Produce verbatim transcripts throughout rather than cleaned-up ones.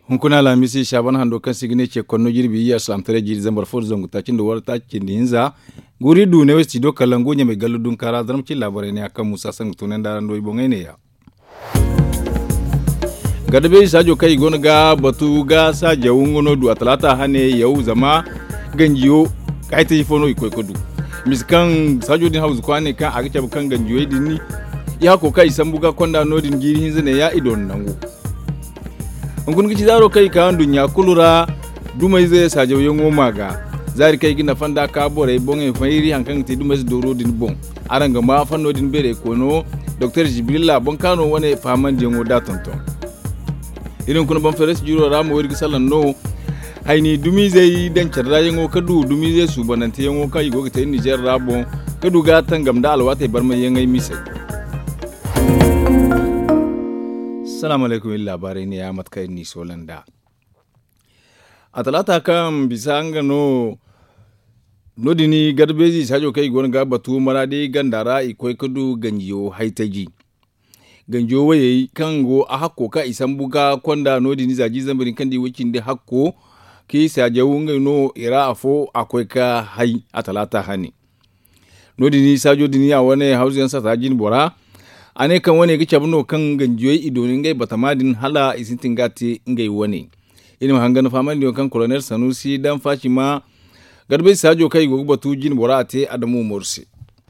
Hunkuna alhamisi saban hando kaŋ se i ga ne ce konno jirbi iyya salaamtaray jiiri zambar fo da zangu taaci nda wara taaci cindi hinza. Guri du ne wo studio kalangu ɲamay gallu dunkaara zarma cin laabaray ne a kaŋ muusa sangu tunay nda arandoy boŋey ne ya. Gada beeri saajo kaŋ i go no ga batu ga saajaw nga no du a talaata hane yaw zama ganjiyo. Haytaji fo no i koy ga du misa kaŋ saajo din hawzu kwaanay kaŋ a ga cabe kaŋ ganjiyey din i hakko kaŋ i sambu ga konda no- din jiiri hinza ne ya i doona nangu. Hunkuna ga ci zaaro kaŋ i ka nduɲɲa kulu ra. Dumayze saajawyaŋo ma ga zaari kaŋ i ga nafa nd'a ka borey boŋey fayri hari kaŋ ga te dumayze dooro din boŋ. Araŋ ga ma fanno din beeray koono doktor jibrilla boŋ kaano wane fahamandiyaŋo da tonton. Iri hunkuna boŋ feres jiro ra mo iri ga salaŋ no. Hayni dumizey daŋ care ra yaŋo ka du dumizey suubanante yaŋo kaŋ i go ga te nizer ra boŋ ka du ga tangam nda alwaatey barmay yaŋey misey. Salaamu alaykum iri laabaarey ne ya mate kaŋ iri n'i soola nd'a. A talaata kaŋ bisa nga no no- din garbeezi saajo kaŋ i go no ga batu maraadi ganda ra i koy ga du ganjiyo haytaji. Ganjo wayey kaŋ go a hakko ka i sambu ga konda no- din za jiiri zambar din kaŋ di way cindi hakko. Kaŋ i saajaw ngey no i ra afo a koy ga hay a talaata hane. No- din saajo din ya wane hawzu yaŋ sata jine bora. A ne kaŋ wane ga cabe no kaŋ ganjiyey i dooni ngey batama din hala i sintin ga te ngey wane. Iri ma hangan fahamandi yaŋ kaŋ kolonel sanusi daŋ faci ma garbe saajo kaŋ i go ga batu jine bora a te adamu umaru se.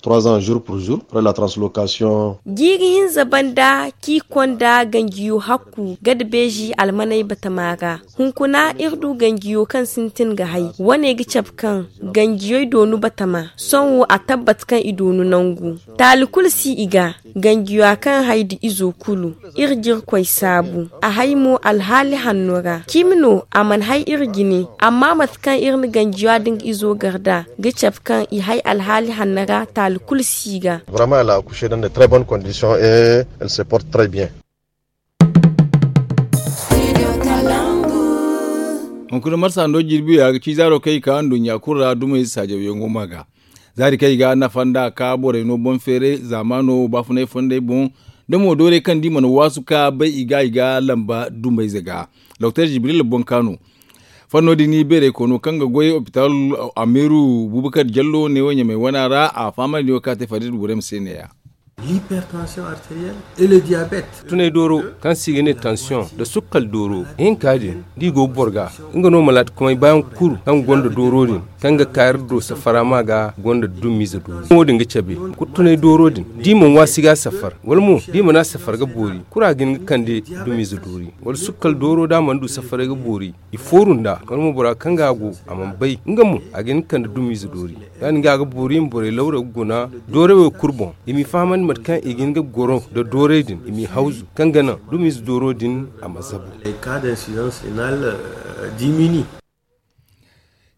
Trois ans jour pour jour après la translocation. Jiiri hinza banda k'i konda ganjiyo hakku gada beeji almaney batama ra. Hunkuna iri du ganjiyo kaŋ sintin ga hay wane ga cabe kaŋ ganjiyey doonu batama. Sohõ a tabbat kaŋ i doonu nangu taali kulu si i ga. Ganjiyo a kaŋ hay nda izo kulu iri jirkoy saabu. A hay mo alhaali hanno ra cimi no a mana hay iri jine. Amma mate kaŋ iri na ganjiyo a da nga izo gar nd'a ga cabe kaŋ i hay alhaali hanno ra taali kulu si i ga. Vraiment elle a accouché dans de très bonnes conditions et elle se porte très bien. Hunkuna marsa no jirbi ya ga ci zaaro kaŋ i ka nduɲɲa kulu ra dumey saajawyaŋo ma ga. Zaari kaŋ i ga nafa nd'a ka borey no boŋ feeray zaamaano baafunay fondey boŋ. Da mo doorey kaŋ da i mana waasu ka bay i ga i ga lamba dumbayze ga. Doktor jibril boŋ ka no fanno din beeray koono kaŋ ga goy opital ameeru bubakar jallo ne wo ɲamay wana ra a fahamandi wo ka te fadid burem se ne ya. L'hypertension artérielle et le diabète. Tunay dooro kaŋ se i ga ne tansiyoŋ nda sukkal dooro ihinka din da i go ga boro ga nga no malaati kumay baayaŋ kulu kaŋ gonda dooro din kaŋ ga ka iri do safara ma ga gonda dumiize doori wo- din ga cabe. Kulu tunay dooro din da i mana waasi ga safar wala mo da i mana safar ga boori kulu a ga hin ga kande dumiize doori wala sukkal dooro da a mana du safaray ga boori. I fooru nd'a wala mo bora kaŋ ga a go a mana bay nga mo a ga hin ga kande dumiize doori. Ya- din ga a ga boori i ma borey lawra ga guna dooray wo kulu boŋ i m'i fahamandi mate kaŋ i ga hin ga goro nda dooray din i m'i hawzu kaŋ ga naŋ dumiize dooro din a ma zabu.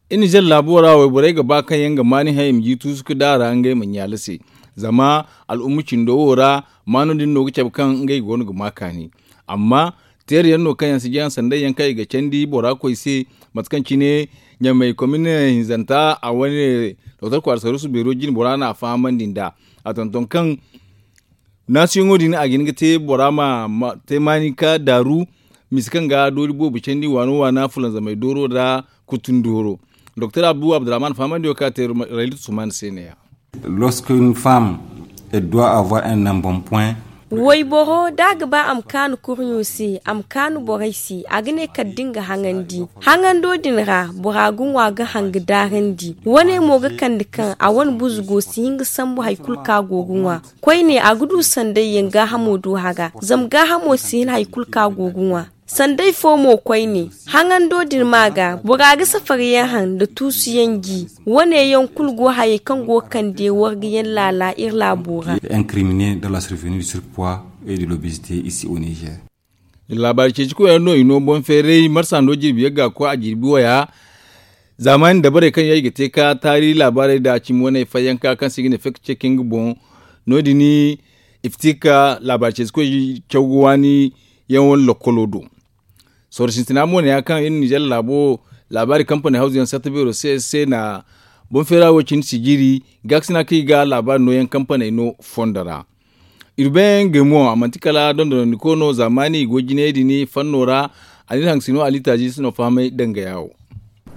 Iri nizer laabo ra wayborey ga ba kaŋ yaŋ ga maani haŋ i ma ji tuusu ga daara ngey ma ɲaala se. Zama al'umma cindo wo ra maano din no ga cabe kaŋ ngey go no ga ma kaani. Amma teeri yaŋ no kaŋ yaŋ si jaŋ sanday yaŋ kaŋ i ga candi bora koy se. Mate kaŋ cine ɲamay komine hinzanta a wane doktor kwaara saruusu beero jine bora no a fahamandi nd'a. A tonton kaŋ naasiyoŋo din a ga hin ga te bora ma te maani ka daaru. Misa kaŋ ga doori boobo candi waano waana fulanzamay dooro nda kutun dooro. Doktor abdu abdurrahman fahamandiyo kaŋ a te raylit suman se ne ya. Lorsqu'une femme elle doit avoir un embonpoint. Wayboro da a ga ba a ma kaanu kurɲo se a ma kaanu borey se a ga ne kala da nga haŋandi. Haŋando din ra bora ga ŋwa ga haŋ ga daarandi wane mo ga kande kaŋ a wane buzugo si hin ga sambu hari kulu kaŋ a go ga ŋwa. Koyne a ga du sanday yaŋ gaahamo do hara zama gaahamo si hin hari kulu kaŋ a go ga ŋwa. Sanday fo mo koyne haŋando din ma ga bora ga safar yaŋ haŋ nda tuusu yaŋ ji. Wane yaŋ kulu go hayey kaŋ go ga kande warga yaŋ laala iri laabo ra. Incrimine dans la survenue du surpoids et de l'obésité ici au niger. Laabaari ceeci koy yaŋ no i no boŋ feeray marsa no jirbi yaŋ ga koy a jirbi waya. Zaamaani dabarey kaŋ yaŋ i ga te ka taari laabaarey nda cimi wane fayyanka kaŋ se i ga ne fek ceekin ga boŋ. No- din iftika laabaari ceeci koy caw ga waani yaŋ wane lokkolo do. Sorro sintina mo ne ya kaŋ iri nizer laabo laabaari kampani hawzu yaŋ sarta beero se se na Boŋ feera wo cine sijiri gaakasina kaŋ i ga laabaari nooyaŋ kampaney no fondo ra. Urbain gemo a manti kala dondonandiko no zaamaani goy jinayey din fanno ra. A n'iri haŋ sino alitaaji si no fahamay danga yaawo.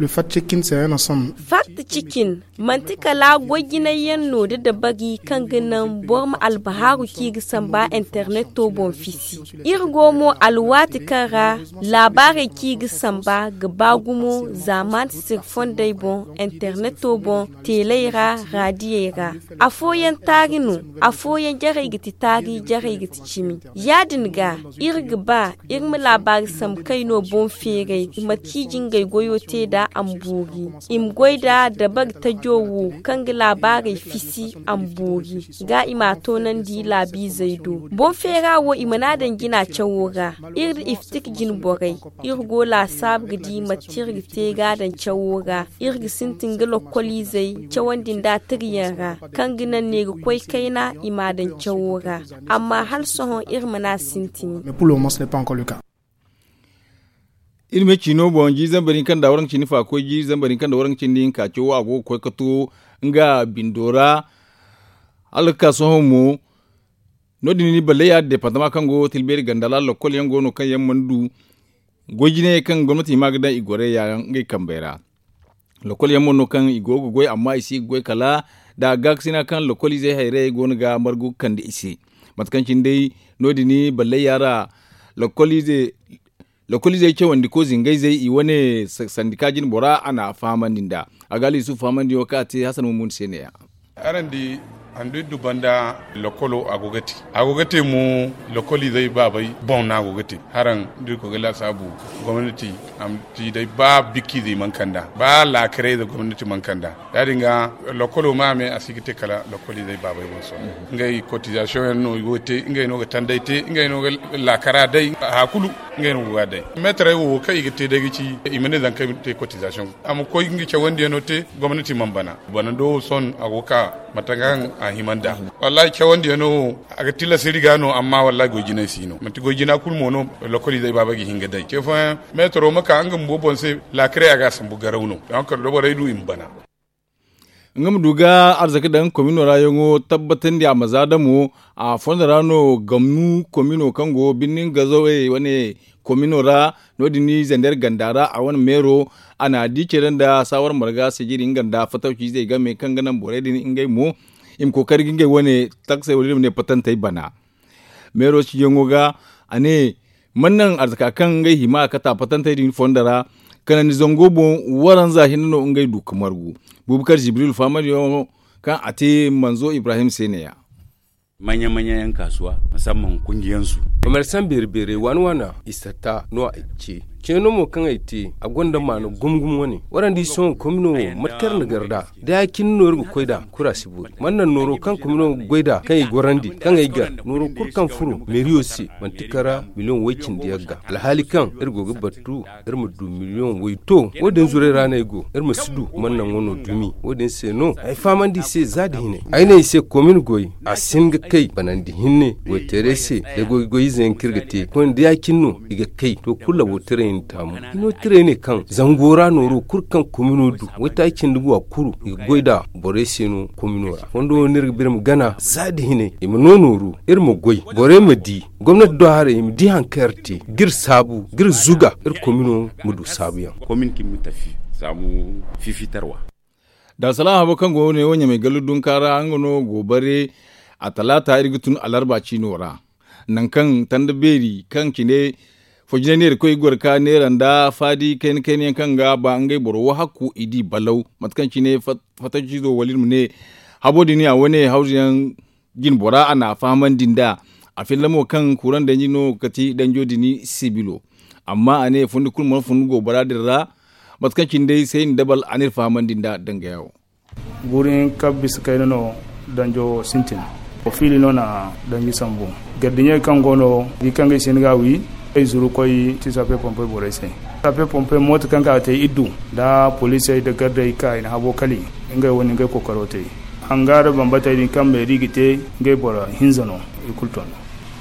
Fact checking se yana son. Fact checking manti kala goy jinay yaŋ no da dabari kaŋ ga naŋ boro ma albahaaru kaŋ i ga samba interneto boŋ fisi. Iri go mo alwaati kaŋ ra laabaarey kaŋ i ga samba ga ba gumo zaamaani sirfondey boŋ interneto boŋ teeley ra raadiyey ra. Afooyaŋ taari no. Afooyaŋ jarey ga ti taari jarey ga ti cimi. Yaadin ga iri ga ba iri ma laabaari sambu kaŋ i no boŋ feeray i ma ciiji ngey goyo te nd'a a ma boori. I ma goy nda dabari tajo wo kaŋ ga laabaarey fisi a ma boori. Ga i m'a toonandi laabiizey do boŋ feera wo i mana daŋ jina cawo ra. Iri nda iftik jine borey iri go laasaabu ga di mate iri ga te ga a daŋ cawo ra. Iri ga sintin ga lokkoliizey cawandi nd'a tiriyaŋ ra kaŋ ga naŋ ne ga koy kayna i m'a daŋ cawo ra. Amma hala sohõ iri mana sintin. Iri ma ciino boŋ jiiri zambar hinka nda waranka cindi hinka koy jiiri zambar hinka nda waranka cindi hinka cawo a go ga koy ga to nga bindo ra. Hala ga ka sohõ mo no- din ni balley ya departama kaŋ go tilbeeri ganda ra lokkol yaŋ go no kaŋ yaŋ mana du goy jinayey kaŋ gomnati hima ga daŋ i gorey ya ngey kambey ra. Lokkol yaŋ mo no kaŋ i go ga goy amma i si ga goy kala nda gaakasina kaŋ lokkol izey hayrayey go no ga margu ga kande i se. Mate kaŋ cine day no- din balley ya ra lokkol izey lokkol izey cawandi ko zingayzey i wane sandika jine bora a na a fahamandi nd'a. A ga aliyusufu fahamandiyaŋo kaŋ a te hasan mumuni se ne- ya. Araŋ di handu iri du banda lokolo a go ga te a go ga te mo. Lokol izey baabey boŋ no a go ga te haraŋ da iri koy ga laasaabu gomnati a ma ci day ba bikka izey mana kand'a ba laakarayze gomnati mana kand'a. Ya- din ga lokolo ma a me a si ga te kala lokol izey baabey boŋ sohõ ngey kotizasiyoŋ yaŋ no i go ga te ngey no ga tanday te ngey no ga laakara day. Haya kulu ngey no go ga a day. Meetarey wo kaŋ i ga te day ga ci i ma ne zanka i ma te kotizasiyoŋ a ma koy nga cawandiyaŋo te. Gomnati mana bana banando wo sohõ a go ga ka mate kaŋ a hima nd'a. Wallahi cawandiyaŋo wo a ga tilas iri ga no amma wallahi goy jinay si no manti goy jina kulu mo no. Lokoliizey baaba ga hin ga day ce fooyaŋ meetaro ma ka nga bumbo boŋ se. Laakarey a ga a sambu garaw no. Donk da borey du i ma bana. Nga ma du ga arzaka daŋ komino ra yaŋo tabbatandi a ma za damo a fondo ra no gamnu komino kaŋ go birnin gazawey wane komino ra. No- din ni zander ganda ra a wane meero a na di care nda saawar marga sijiri nga nda fatawci izey game kaŋ ga naŋ borey din ngey mo i ma kookari ga ngey wane taksey wala iri ma ne patantey bana. Meero ciyaŋo ga a ne mana naŋ arzaka kaŋ ngey hima a kate a patantey din fondo ra. Kanandi zango boŋ waranza hinne no ngey du ga margu. Buubakar jibril fahamadiyaŋo kaŋ a te manzo ibrahim se ne- ya. Manya manya yaŋ kaasuwa musamman kungiyansu. Komersaŋ beeri beerey waana waana i satta no a ce. Ceeno mo kaŋ ay te a gonda maana gumo gumo wane warandi sohõ komino wo mate kaŋ iri na gar nd'a. Da ya- cine no iri ga koy nd'a kura si boori mana naŋ nooro kaŋ komino ga goy nd'a kaŋ i gorandi kaŋ ay gar nooro kulu kaŋ furo meeriyo se manti kara miliyoŋ way- cindi yaŋ ga alhaali kaŋ iri go ga battu iri ma du miliyoŋ way- to. Wo- din zurey ra no ay go iri ma si du mana naŋ wano dumi wo- din se no ay fahamandi i se za nda hinay ay ne i se komin goy a si hin ga kay banandi hinne goyteerey se. Da goy goy ize yaŋ kaŋ iri ga te koyne da ya- cine no i ga kay to kulu labo tirey na taamu. Hino tirey ne kaŋ zango ra nooro kulu kaŋ komino du waytaaci cindi go a kuru i ga goy nd'a borey se no komino ra fondo wo no iri ga ba iri ma gana za nda hinay i ma no nooru iri ma goy borey ma di gomnati do haray i ma di hari kaŋ iri te ga iri saabu ga iri zuga iri komino ma du saabuyaŋ. Komin kaŋ i ma tafi saabu fifitarwa. Darsalaam habo kaŋ go ne wo ɲamay gallu dunka ra nga no go bare a talaata iri ga tun alarba ciino ra. Nangu kaŋ tanda beeri kaŋ cine fo jinay neerakoy ga goro ga neera nda faadi kayna kayna yaŋ kaŋ ga ba ngey boro wo hakku i di balaw mate kaŋ cine fattancizo wala iri ma ne habo din a wane hawzu yaŋ jine bora a na a fahamandi nd'a. A filla mo kaŋ kuuraŋ danji no ga ti danjo din sibilo. Amma a ne fundi kulu mana fun goobara din ra. Mate kaŋ cine day sayni dabal a n'iri fahamandi nd'a dangaya wo. Guuri hinka bisa kayna no danjo sintin. Fiili no na danji sambu gardiɲey kaŋ go no di kaŋ ga i si hin ga a wi ay zuru koy ti sape pompey borey se. Sape pompey mooto kaŋ ka ga te iddu nda poliisey nda gardey ka i na habo kali. Ngey wo na ngey kookaro te. Hanga nda bambatey din kaŋ meeri ga te ngey boro hinza no. I kulu ton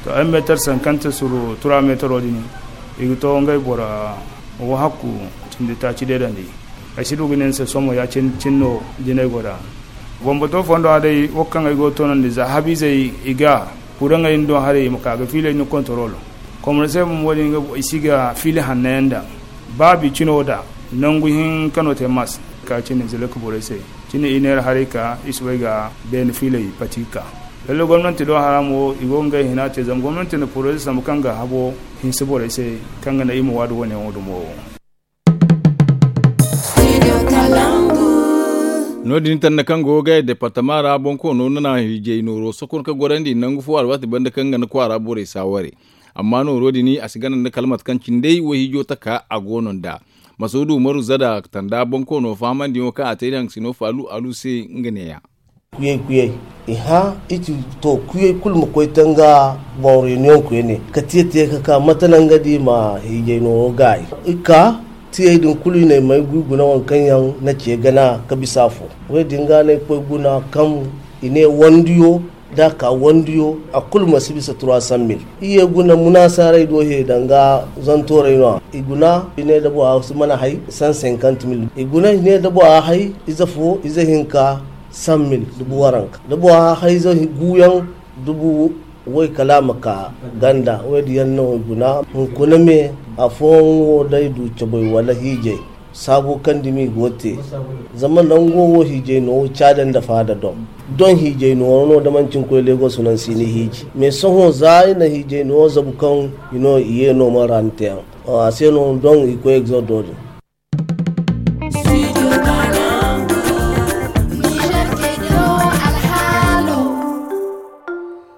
to ay meetar sankante suru tura meetaro din i ga to ngey boro wo hakku cindi taaci deedandi. Ay si du ga ne ni se sohõ ya cin no jinay go da. Bambato fondo a day wo kaŋ ay go ga toonandi za habiizey i ga kuraŋey ni do haray i ma ka ga fiiley ni kontorol. Komoro se bumbo din ga i si ga fiili hanno yaŋ daŋ. Ba bi cino da nangu hinka no te mas ka cine zilaka borey se. Cine i neera haray ka i si bay ga beene fiiley pati ga ka. Lalle gomnanti do hara mo i go ga ngey hina te zama gomnanti na poroze sambu kaŋ ga habo hinse borey se kaŋ ga naŋ i ma waadu wane yaŋo dumo. No- din tanda kaŋ go ga departama ra bonkoono na hiijay nooro sokon ka gorandi nangu fo alwaati banda kaŋ ga na kwaara borey saaware. Amma nooro din a si gana nda kala mate kaŋ cindey wo hiijo taka a go no nd'a. Masuudu umaru zada tanda bonkoono fahamandiyaŋo kaŋ a te da haŋ sino faalu alu se nga neeya. Kuyey kuyey i hã i ci to kuyey kulu ma koy te nga boŋ reunion koyne ka tiya tiya ka ka mate naŋ ga di ma hiijay nooro gaayi. I ka tiyey din kulu i ne may guy guna waŋ kaŋ yaŋ na ce gana ka bisa afo. Wo- din ga no ay koy guna kaŋ i ne wandiyo da a ka wandiyo a kulu ma si bisa trois cent mille. I ye guna munaasaaray do he danga zantoorey no- ya i guna i ne da bora si mana hay cent cinquante mille. I guna i ne da bora hay ize fo ize hinka cent mille dubu waranka da bora hay ize guuyaŋ dubu way kala a ma ka ganda. Wo- din yaŋ no i guna hunkuna me afooyaŋ wo day du cabay wala hiijay. Saabo kaŋ dumi go te zama nango wo hiijay no wo caada nda faada doŋ. Doŋ hiijay no wo no da manci ni koy legoso no ni si ni hiiji mais sohõ za i na hiijay no wo zabu kaŋ i no i ye no man ra ni te yaŋ. A se no doŋ i koy egzordo din.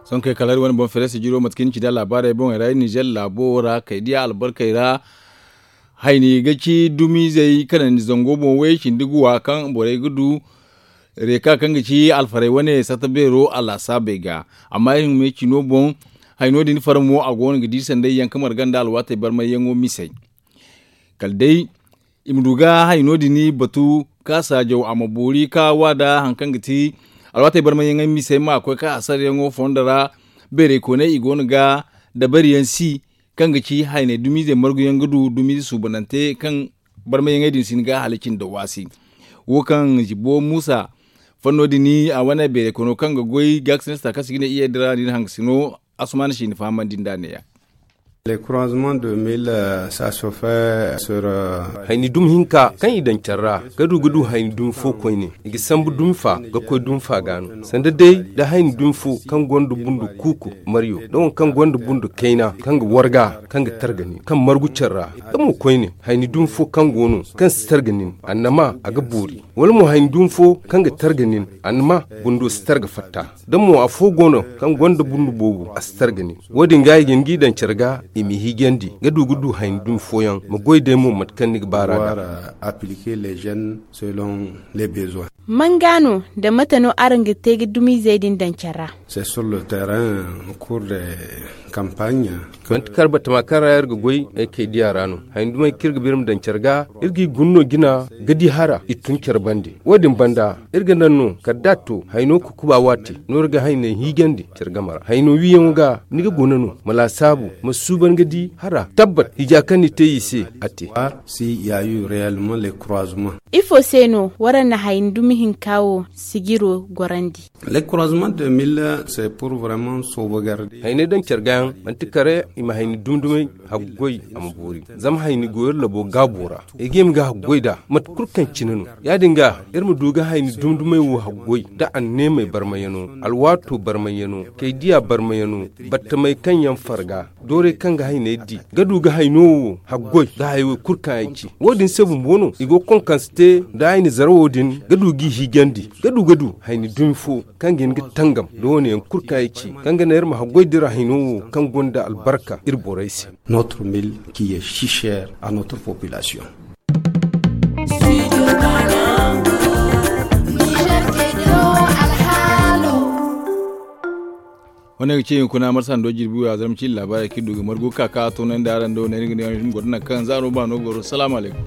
Sonkey kala hari wane boŋ fere si jiro mate kaŋ ni ci da laabaarey boŋey ra iri nizer laabo ra kay diya albarkey ra. Hayni ga ci dumizey kanandi zango boŋ way cindi ga wa kaŋ borey ga du reeka kaŋ ga ci alfarey wane sata beero a laasaabey ga. Amma iri ma ye cino boŋ hayno din fara mo a go no ga di sanday yaŋ ka marga nda alwaatey barmayyaŋo misey. Kala day i ma du ga hayno din batu ka saajaw a ma boori ka wa da hari kaŋ ga ti alwaatey barmayyaŋey misey ma koy ka hasarayaŋo fondo ra. Beerey kooney i go no ga dabariyaŋ si kaŋ ga ci haynay dumizey marguyaŋ ga du dumize suubanante kaŋ barmayyaŋey din si ni ga halaci nda waasi. Wo kaŋ zibo muusa fanno din a wane beerey kono kaŋ ga goy gaakasina si taakasi ga ne iyey dira din hangasino. Asumana si ni fahamandi nda neeya. Hayni dumi hinka kaŋ i daŋ care ra ga du ga du hayni dumi fo koyne. I ga sambu dumi fa ga koy dumi fa ga no sanda day da hayni dumi fo kaŋ gonda bundu kuuku maryo da waŋ kaŋ gonda bundu kayna kaŋ ga warga kaŋ ga targa nin kaŋ margu care ra. Da mo koyne hayni dumi fo kaŋ go no kaŋ si targa nin annama a ga boori. Wala mo hayni dumi fo kaŋ ga targa nin annama bundo si targa fatta. Da mo afo go no kaŋ gonda bundu boobo a si targa nin. Wo- din ga i ga hin g'i daŋ care ga i m'i hiijandi ga du ga du hayni dumi fooyaŋ ma goy day mo mate kaŋ ni ga baar'a ga. Manga no nda mate no araŋ ga te ga dumizey din daŋ care ra? Manti kar batama kaŋ ra iri ga goy ay kay diya ra no. Hayni dumey kaŋ iri ga ba iri ma daŋ care ga iri g'i guna no jina ga di hara i tun care bande. Wo- din banda iri ga naŋ no kala da a to hayno kukuba waati no iri ga hayney hiijandi care game ra hayno wiiyaŋo ga ni ga guna no ma laasaabu ma suuban ga di hara tabbat hiija kaŋ ni te i se a te. Ifo se no waraŋ na hayni dumi hinka wo sijiro gorandi? Hayney daŋ care ga yaŋ manti kare i ma hayni dumi dumey haggoy a ma boori. Zama hayni go iri labo gaabo ra ay ga i ma ga haggoy nd'a mate kulu kaŋ cine no. Ya- din ga iri ma du ga hayni dumi dumey wo haggoy da anneemey barmayaŋo alwaato barmayaŋo kay diya barmayaŋo battamey kaŋ yaŋ farga doorey kaŋ ga hayney di ga du ga hayno wo haggoy da hayey kulu kaŋ ay ci. Wo- din se bumbo no i go ga konkanse te nda hayni zarawo din ga du g'i hiijandi ga du ga du hayni dumi fo kaŋ ga hin ga tangam nda wo- ne yaŋ kulu kaŋ ay ci kaŋ ga naŋ iri ma haggoy dira hayno wo kaŋ gonda albarka iri borey se. Notre mille qui est si cher à notre population. Wane ga ci hunkuna marsa ndo jirbi wo ya zarma ci laabaarey kaŋ i du ga margu ka ka toonandi araŋ do ne ni ga ne goro naŋ kaŋ zaaro baano goro salaamu alaykum.